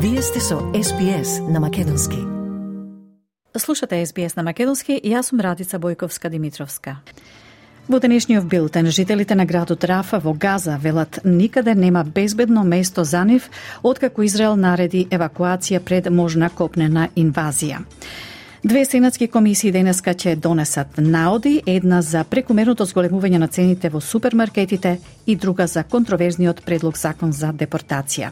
Вие сте со SBS на Македонски. Слушате SBS на Македонски и јас сум Радица Бојковска-Димитровска. Во денешниот билтен, жителите на градот Рафа во Газа велат никаде нема безбедно место за нив, откако Израел нареди евакуација пред можна копнена инвазија. Две сенатски комисии денеска ќе донесат наоди, една за прекумерното зголемување на цените во супермаркетите и друга за контроверзниот предлог закон за депортација.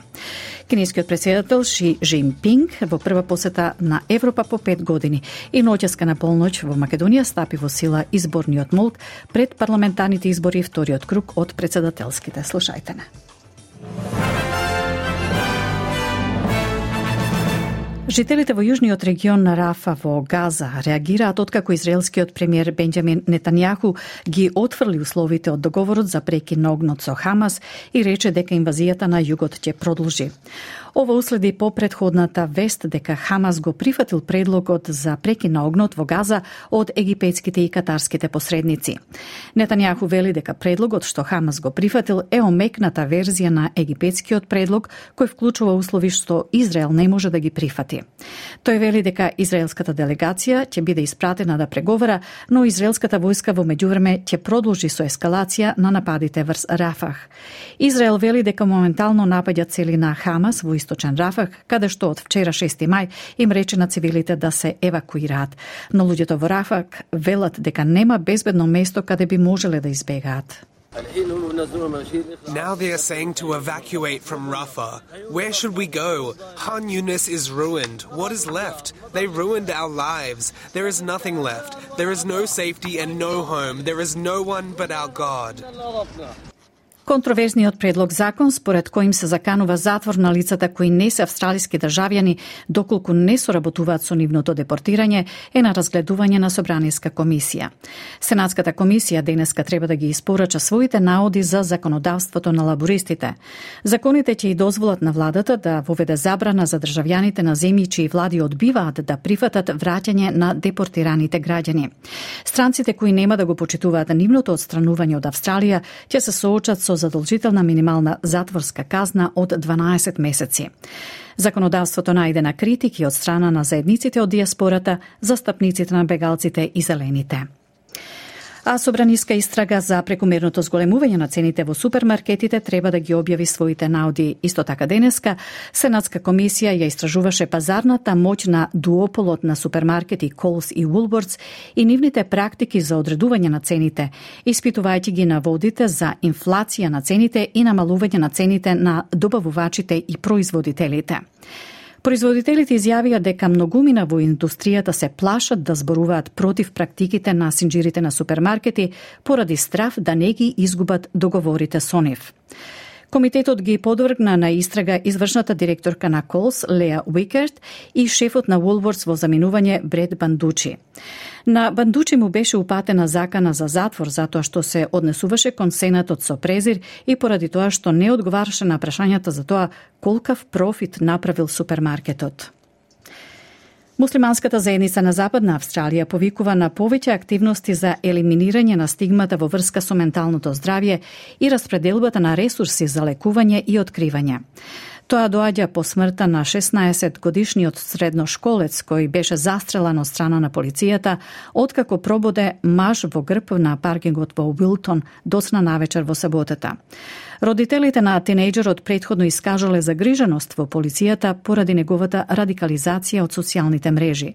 Кинескиот претседател Ши Жинпинг во прва посета на Европа по 5 години и ноќеска на полноќ во Македонија стапи во сила изборниот молк пред парламентарните избори вториот круг од претседателските. Слушајте не. Жителите во јужниот регион на Рафа во Газа реагираат откако израелскиот премиер Бенџамин Нетањаху ги отфрли условите од договорот за прекин на огнот со Хамас и рече дека инвазијата на југот ќе продолжи. Ова уследи по претходната вест дека Хамас го прифатил предлогот за прекин на огнот во Газа од египетските и катарските посредници. Нетањаху вели дека предлогот што Хамас го прифатил е омекната верзија на египетскиот предлог кој вклучува услови што Израел не може да ги прифати. Тој вели дека израелската делегација ќе биде испратена да преговара, но израелската војска во меѓувреме ќе продолжи со ескалација на нападите врз Рафах. Израел вели дека моментално напаѓа цели на Хамас во источен Рафах, каде што од вчера 6 мај им рече на цивилите да се евакуираат. Но луѓето во Рафах велат дека нема безбедно место каде би можеле да избегаат. Now they are saying to evacuate from Rafah. Where should we go? Khan Yunis is ruined. What is left? They ruined our lives. There is nothing left. There is no safety and no home. There is no one but our God. Контроверзниот предлог закон според кој им се заканува затвор на лицата кои не се австралиски државјани доколку не соработуваат со нивното депортирање е на разгледување на Собраниска комисија. Сенатската комисија денеска треба да ги испорача своите наоди за законодавството на лабористите. Законите ќе и дозволат на владата да воведе забрана за државјаните на земји чии влади одбиваат да прифатат враќање на депортираните граѓани. Странците кои нема да го почитуваат нивното отстранување од Австралија ќе се соочат со задолжителна минимална затворска казна од 12 месеци. Законодавството најде на критики од страна на заедниците од диаспората, застапниците на бегалците и зелените. А собраниска истрага за прекумерното зголемување на цените во супермаркетите треба да ги објави своите наоди. Исто така денеска, Сенатска комисија ја истражуваше пазарната моќ на дуополот на супермаркети Coles и Woolworths и нивните практики за одредување на цените, испитувајќи ги наводите за инфлација на цените и намалување на цените на добавувачите и производителите. Производителите изјавија дека многумина во индустријата се плашат да зборуваат против практиките на синџирите на супермаркети поради страф да не ги изгубат договорите со нив. Комитетот ги подвргна на истрага извршната директорка на Coles, Леа Уикерт, и шефот на Woolworths во заминување Бред Бандучи. На Бандучи му беше упатена закана за затвор затоа што се однесуваше кон Сенатот со презир и поради тоа што не одговараше на прашањата за тоа колкав профит направил супермаркетот. Муслиманската заедница на Западна Австралија повикува на повеќе активности за елиминирање на стигмата во врска со менталното здравје и распределбата на ресурси за лекување и откривање. Тоа доаѓа по смртта на 16-годишниот средношколец кој беше застрелан од страна на полицијата откако прободе маж во грб на паркингот во Уилтон доцна навечер во саботата. Родителите на тинејџерот претходно искажале загриженост во полицијата поради неговата радикализација од социјалните мрежи.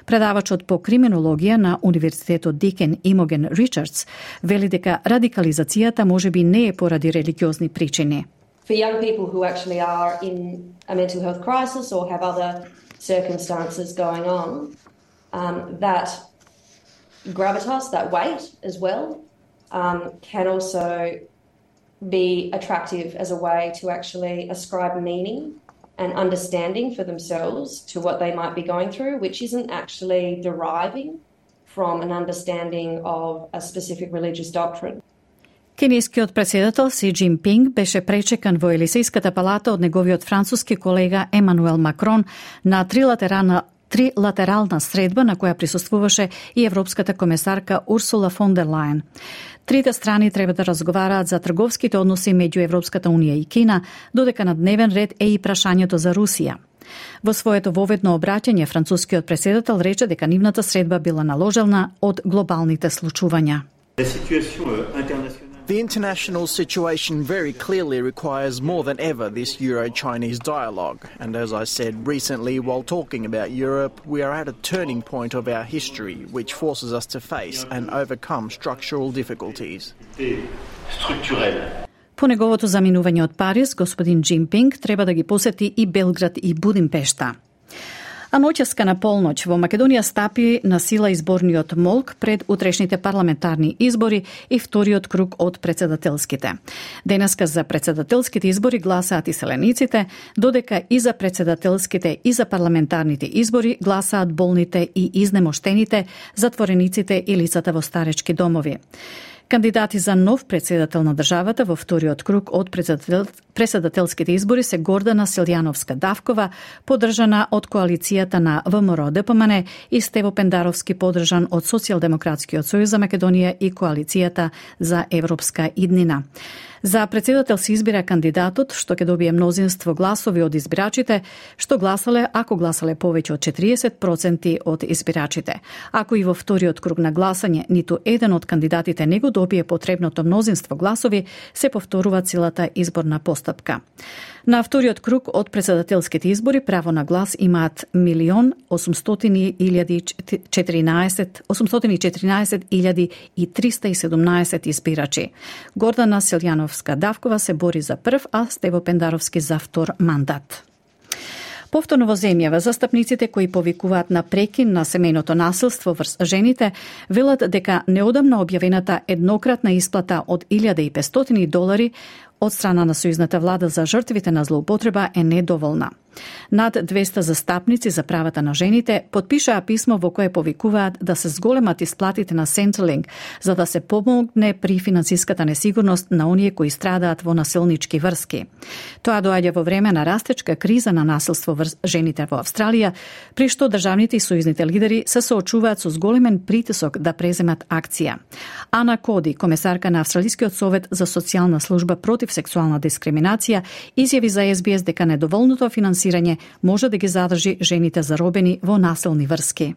Предавачот по криминологија на Универзитетот Дикен Имоген Ричардс вели дека радикализацијата можеби не е поради религиозни причини. For young people who actually are in a mental health crisis or have other circumstances going on, that gravitas, that weight as well, can also be attractive as a way to actually ascribe meaning and understanding for themselves to what they might be going through, which isn't actually deriving from an understanding of a specific religious doctrine. Кинескиот претседател Си Джинпинг беше пречекан во Елисејската палата од неговиот француски колега Емануел Макрон на трилатерална средба на која присуствуваше и европската комесарка Урсула фон дер Лајен. Трите страни треба да разговараат за трговските односи меѓу Европската унија и Кина, додека на дневен ред е и прашањето за Русија. Во своето воведно обраќање, францускиот претседател рече дека нивната средба била наложена од глобалните случувања. The international situation very clearly requires more than ever this Euro-Chinese dialogue. And as I said recently while talking about Europe, we are at a turning point of our history which forces us to face and overcome structural difficulties. По неговото заминување од Париз, господин Джинпинг треба да ги посети и Белград и Будимпешта. А ноќеска на полноќ во Македонија стапи на сила изборниот молк пред утрешните парламентарни избори и вториот круг од претседателските. Денеска за претседателските избори гласаат иселениците, додека и за претседателските и за парламентарните избори гласаат болните и изнемоштените, затворениците и лицата во старечки домови. Кандидати за нов претседател на државата во вториот круг од претседателските избори се Гордана Силјановска-Давкова, поддржана од коалицијата на ВМРО-ДПМН, и Стево Пендаровски, поддржан од Социјалдемократскиот сојуз за Македонија и коалицијата за европска иднина. За претседател се избира кандидатот што ќе добие мнозинство гласови од избирачите, што гласале ако гласале повеќе од 40% од избирачите. Ако и во вториот круг на гласање ниту еден од кандидатите не го добие потребното мнозинство гласови, се повторува целата изборна постапка. На вториот круг од претседателските избори право на глас имаат 814.317 избирачи. Гордана Силјановска-Давкова се бори за прв, а Стево Пендаровски за втор мандат. Повторно во земјава, застапниците кои повикуваат на прекин на семејното насилство врз жените велат дека неодамна објавената еднократна исплата од $1.500 од страна на сојузната влада за жртвите на злоупотреба е недоволна. Над 200 застапници за правата на жените потпишаа писмо во кое повикуваат да се зголемат исплатите на Centrelink за да се помогне при финансиската несигурност на оние кои страдаат во насилнички врски. Тоа доаѓа во време на растечка криза на насилство врз жените во Австралија, при што државните и сојузните лидери се соочуваат со зголемен притисок да преземат акција. Ана Коди, комесарка на Австралискиот совет за социјална служба против сексуална дискриминација, изјави за SBS дека недоволното финансирање може да ги задржи жените заробени во насилни врски.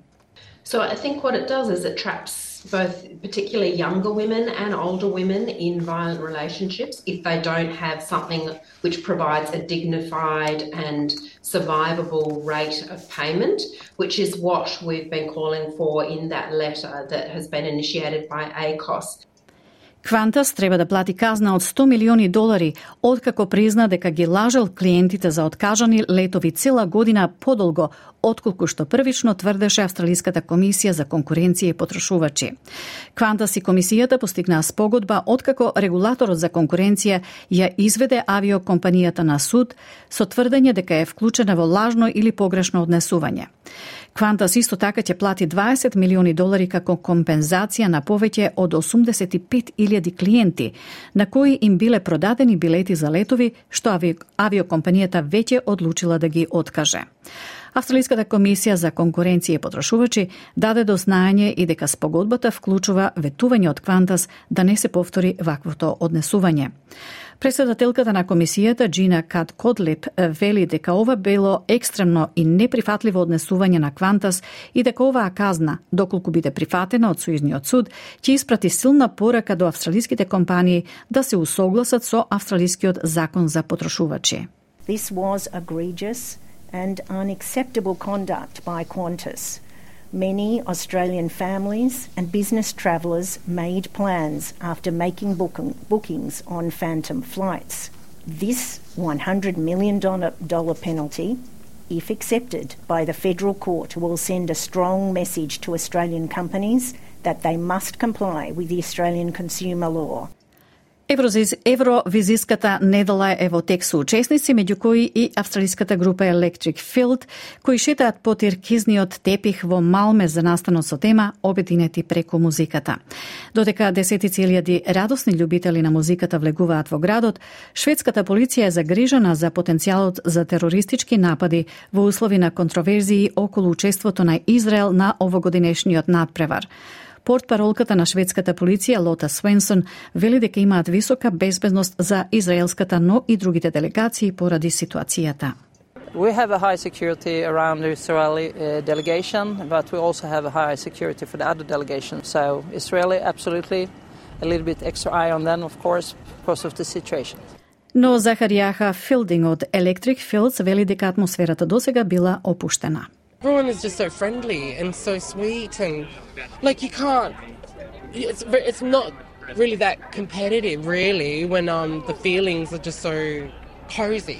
So I think what it does is it traps both particularly younger women and older women in violent relationships if they don't have something which provides a dignified and survivable rate of payment, which is what we've been calling for in that letter that has been initiated by ACOS. Qantas треба да плати казна од $100 милиони откако призна дека ги лажел клиентите за откажани летови цела година подолго отколку што првично тврдеше Австралиската комисија за конкуренција и потрошувачи. Qantas и комисијата постигнаа спогодба откако регулаторот за конкуренција ја изведе авиокомпанијата на суд со тврдење дека е вклучена во лажно или погрешно однесување. Qantas исто така ќе плати $20 милиони како компензација на повеќе од 85.000 клиенти, на кои им биле продадени билети за летови што авиокомпанијата веќе одлучила да ги откаже. Австралиската комисија за конкуренција и потрошувачи даде до знаење и дека спогодбата вклучува ветување од Qantas да не се повтори ваквото однесување. Председателката на комисијата Джина Кат Кодлип вели дека ова било екстремно и неприфатливо однесување на Qantas и дека оваа казна, доколку биде прифатена од сојузниот суд, ќе испрати силна порака до австралиските компании да се усогласат со австралискиот закон за потрошувачи. This was egregious and unacceptable conduct by Qantas. Many Australian families and business travellers made plans after making bookings on phantom flights. This $100 million penalty, if accepted by the federal court, will send a strong message to Australian companies that they must comply with the Australian consumer law. Евровизиската недела е во тек со учесници, меѓу кои и австралиската група Electric Field, кои шетаат по тиркизниот тепих во Малме за настанот со тема Обединети преку музиката. Додека десетици илјади радосни љубители на музиката влегуваат во градот, шведската полиција е загрижена за потенцијалот за терористички напади во услови на контроверзии околу учеството на Израел на овогодинешниот надпревар. Портпаролката на шведската полиција Лота Свенсон вели дека имаат висока безбедност за израелската, но и другите делегации поради ситуацијата. We have a high security around the Israeli delegation, but we also have a high security for the other delegations. So Israeli, absolutely, a little bit extra eye on them, of course, because of the situation. Но Захаријаха Филдинг од Electric Fields вели дека атмосферата досега била опуштена. Everyone is just so friendly and so sweet, and like you can't. It's not really that competitive, really, when the feelings are just so cozy.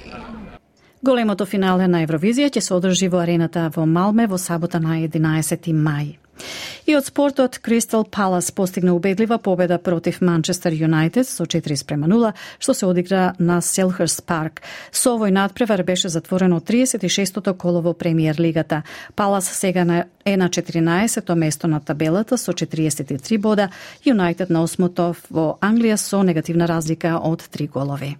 Големото финале на Евровизија ќе се одржи во арената во Малме во сабота на 11 мај. И од спортот, Кристал Палас постигна убедлива победа против Манчестер Юнайтед со 4:0, што се одигра на Селхърст парк. Со овој надпревар беше затворено 36-тото коло во Премиер лигата. Палас сега е на 14-то место на табелата со 43 бода, Юнайтед на 8-то во Англија со негативна разлика од 3 голови.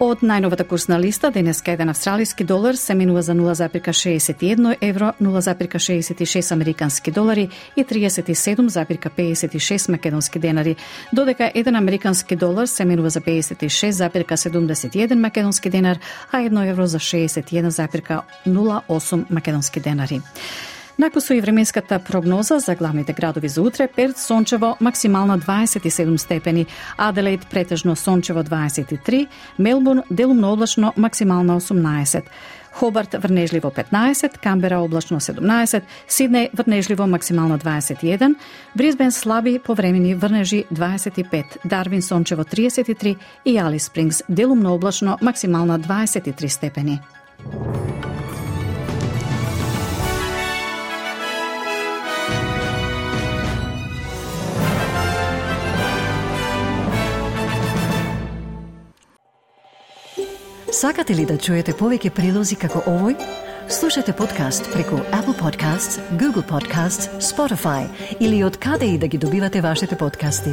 Од најновата курсна листа, денеска еден австралиски долар се менува за 0,61 евро, 0,66 американски долари и 37,56 македонски денари, додека еден американски долар се менува за 56,71 македонски денар, а 1 евро за 61,08 македонски денари. Накусо и временската прогноза за главните градови за утре: Перт сончево, максимална 27 степени, Аделаид претежно сончево 23, Мелбурн делумно облачно, максимална 18, Хобарт врнежливо 15, Камбера облачно 17, Сиднеј врнежливо максимална 21, Брисбен слаби повремени врнежи 25, Дарвин сончево 33 и Алис Спрингс делумно облачно, максимална 23 степени. Сакате ли да чуете повеќе прилози како овој? Слушате подкаст преку Apple Podcasts, Google Podcasts, Spotify или од каде и да ги добивате вашите подкасти.